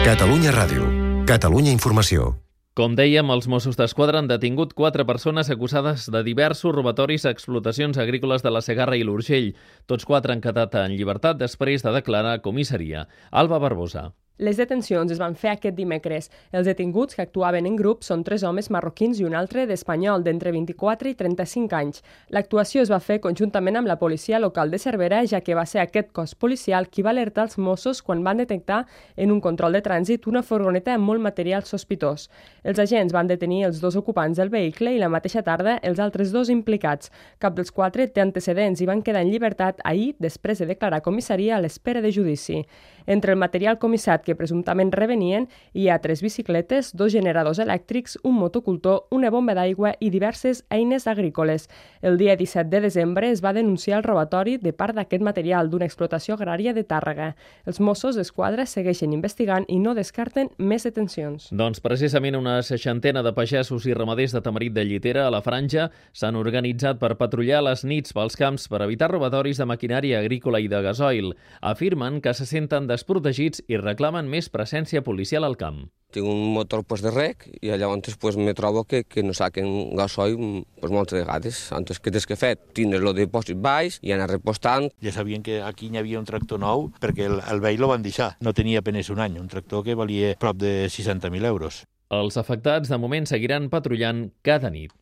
Catalunya Ràdio. Catalunya Informació. Com dèiem, els Mossos d'Esquadra han detingut 4 persones acusades de diversos robatoris a explotacions agrícoles de la Segarra i l'Urgell. Tots 4 han quedat en llibertat després de declarar a comissaria. Alba Barbosa. Les detencions es van fer aquest dimecres. Els detinguts que actuaven en grup són 3 homes marroquins i un altre d'espanyol d'entre 24 i 35 anys. L'actuació es va fer conjuntament amb la policia local de Cervera, ja que va ser aquest cos policial qui va alertar els Mossos quan van detectar en un control de trànsit una furgoneta amb molt material sospitós. Els agents van detenir els 2 ocupants del vehicle i la mateixa tarda els altres 2 implicats. Cap dels 4 té antecedents i van quedar en llibertat ahir després de declarar a comissaria a l'espera de judici. Entre el material comissat que presumptament revenien hi ha 3 bicicletes, 2 generadors elèctrics, un motocultor, una bomba d'aigua i diverses eines agrícoles. El dia 17 de desembre es va denunciar el robatori de part d'aquest material d'una explotació agrària de Tàrrega. Els Mossos d'Esquadra segueixen investigant i no descarten més detencions. Doncs precisament una 60ena de pagesos i ramaders de Tamarit de Llitera a la Franja s'han organitzat per patrullar les nits pels camps per evitar robatoris de maquinària agrícola i de gasoil. Afirmen que se senten desprotegits i reclamen més presència policial al camp. Tinc un motor de rec i llavors me trobo que no saquen gasoil moltes vegades. Antes, què tens que fer? Tindre el dipòsit baix i anar repostant. Ja sabien que aquí hi havia un tractor nou perquè el vell lo van deixar. No tenia apenas un any, un tractor que valia prop de 60.000 euros. Els afectats de moment seguiran patrullant cada nit.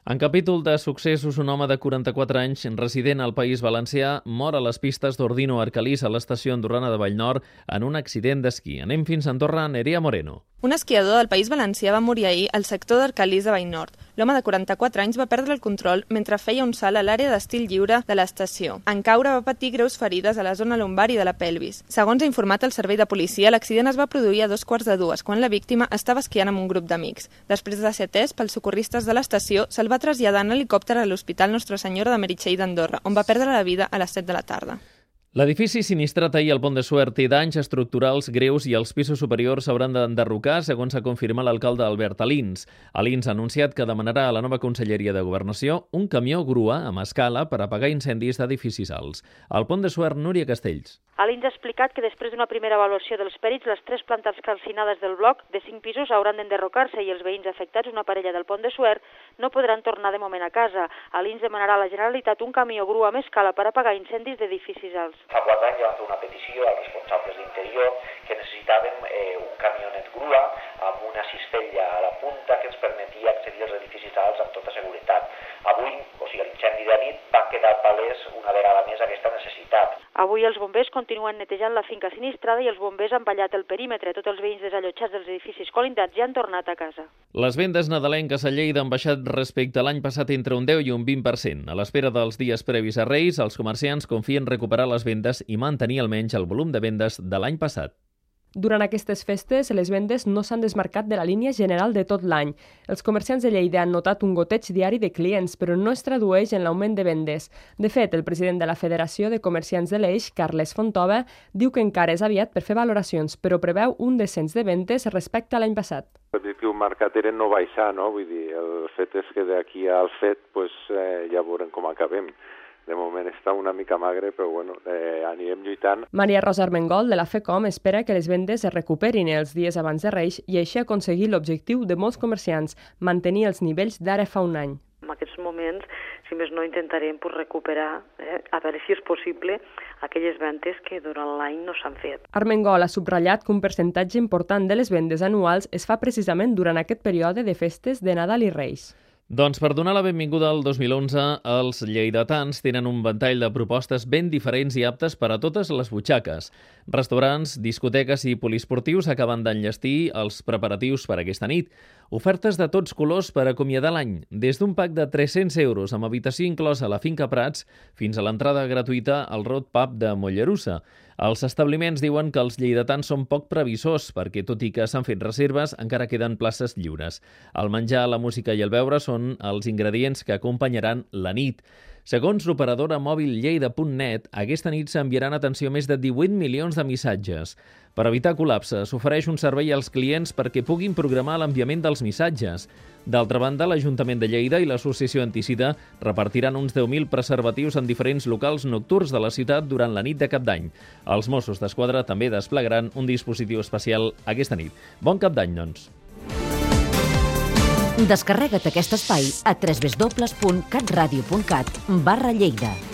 En capítol de successos, un home de 44 anys, resident al País Valencià, mor a les pistes d'Ordino Arcalís a l'estació andorrana de Vallnord en un accident d'esquí. Anem fins a Andorra, Nerea Moreno. Un esquiador del País Valencià va morir ahir al sector d'Arcalís de Vallnord. L'home de 44 anys va perdre el control mentre feia un salt a l'àrea d'estil lliure de l'estació. En caure va patir greus ferides a la zona lumbar i de la pelvis. Segons ha informat el servei de policia, l'accident es va produir a 2:45 quan la víctima estava esquiant amb un grup d'amics. Després de ser atès pels socorristes de l'estació, se'l va traslladar en helicòpter a l'Hospital Nostra Senyora de Meritxell d'Andorra, on va perdre la vida a les 7 de la tarda. L'edifici sinistrat ahir al Pont de Suert té danys estructurals greus i els pisos superiors s'hauran d'enderrocar, segons ha confirmat l'alcalde Albert Alins. Alins ha anunciat que demanarà a la nova Conselleria de Governació un camió grua amb escala per apagar incendis d'edificis alts. Al Pont de Suert, Núria Castells. Alins ha explicat que després d'una primera avaluació dels perits, les 3 plantes calcinades del bloc de 5 pisos hauran d'enderrocar-se i els veïns afectats, una parella del Pont de Suert, no podran tornar de moment a casa. Alins demanarà a la Generalitat un camió grua amb escala per apagar incendis d'edificis alts. Fa 4 anys vam fer una petició als responsables d'interior que necessitàvem un camionet grua amb una cistella a la punta que ens permetia accedir als edificis alts amb tota seguretat. Avui, l'incendi de nit, va quedar palès una vegada més aquesta necessitat. Avui els bombers continuen netejant la finca sinistrada i els bombers han ballat el perímetre. Tots els veïns desallotjats dels edificis colindats ja han tornat a casa. Les vendes nadalenques a Lleida han baixat respecte a l'any passat entre un 10 i un 20%. A l'espera dels dies previs a Reis, els comerciants confien recuperar les vendes i mantenir almenys el volum de vendes de l'any passat. Durant aquestes festes, les vendes no s'han desmarcat de la línia general de tot l'any. Els comerciants de Lleida han notat un goteig diari de clients, però no es tradueix en l'augment de vendes. De fet, el president de la Federació de Comerciants de l'Eix, Carles Fontova, diu que encara és aviat per fer valoracions, però preveu un descens de vendes respecte a l'any passat. L'objectiu marcat era no baixar, no? Vull dir, el fet és que d'aquí al fet ja veurem com acabem. De moment està una mica magre, però anirem lluitant. Maria Rosa Armengol, de la FECOM, espera que les vendes es recuperin els dies abans de Reis i així aconseguir l'objectiu de molts comerciants, mantenir els nivells d'ara fa un any. En aquests moments, si més no, intentarem recuperar, a veure si és possible, aquelles vendes que durant l'any no s'han fet. Armengol ha subratllat que un percentatge important de les vendes anuals es fa precisament durant aquest període de festes de Nadal i Reis. Doncs per donar la benvinguda al 2011, els lleidatans tenen un ventall de propostes ben diferents i aptes per a totes les butxaques. Restaurants, discoteques i poliesportius acaben d'enllestir els preparatius per aquesta nit. Ofertes de tots colors per acomiadar l'any, des d'un pack de 300 euros amb habitació inclosa a la Finca Prats fins a l'entrada gratuïta al Road Pub de Mollerussa. Els establiments diuen que els lleidatans són poc previsors perquè, tot i que s'han fet reserves, encara queden places lliures. El menjar, la música i el beure són els ingredients que acompanyaran la nit. Segons l'operadora mòbil Lleida.net, aquesta nit s'enviaran atenció més de 18 milions de missatges. Per evitar col·lapse, s'ofereix un servei als clients perquè puguin programar l'enviament dels missatges. D'altra banda, l'Ajuntament de Lleida i l'Associació Antisida repartiran uns 10.000 preservatius en diferents locals nocturns de la ciutat durant la nit de Cap d'Any. Els Mossos d'Esquadra també desplegaran un dispositiu especial aquesta nit. Bon Cap d'Any, doncs. Descarrega't aquest espai a www.catradio.cat/Lleida.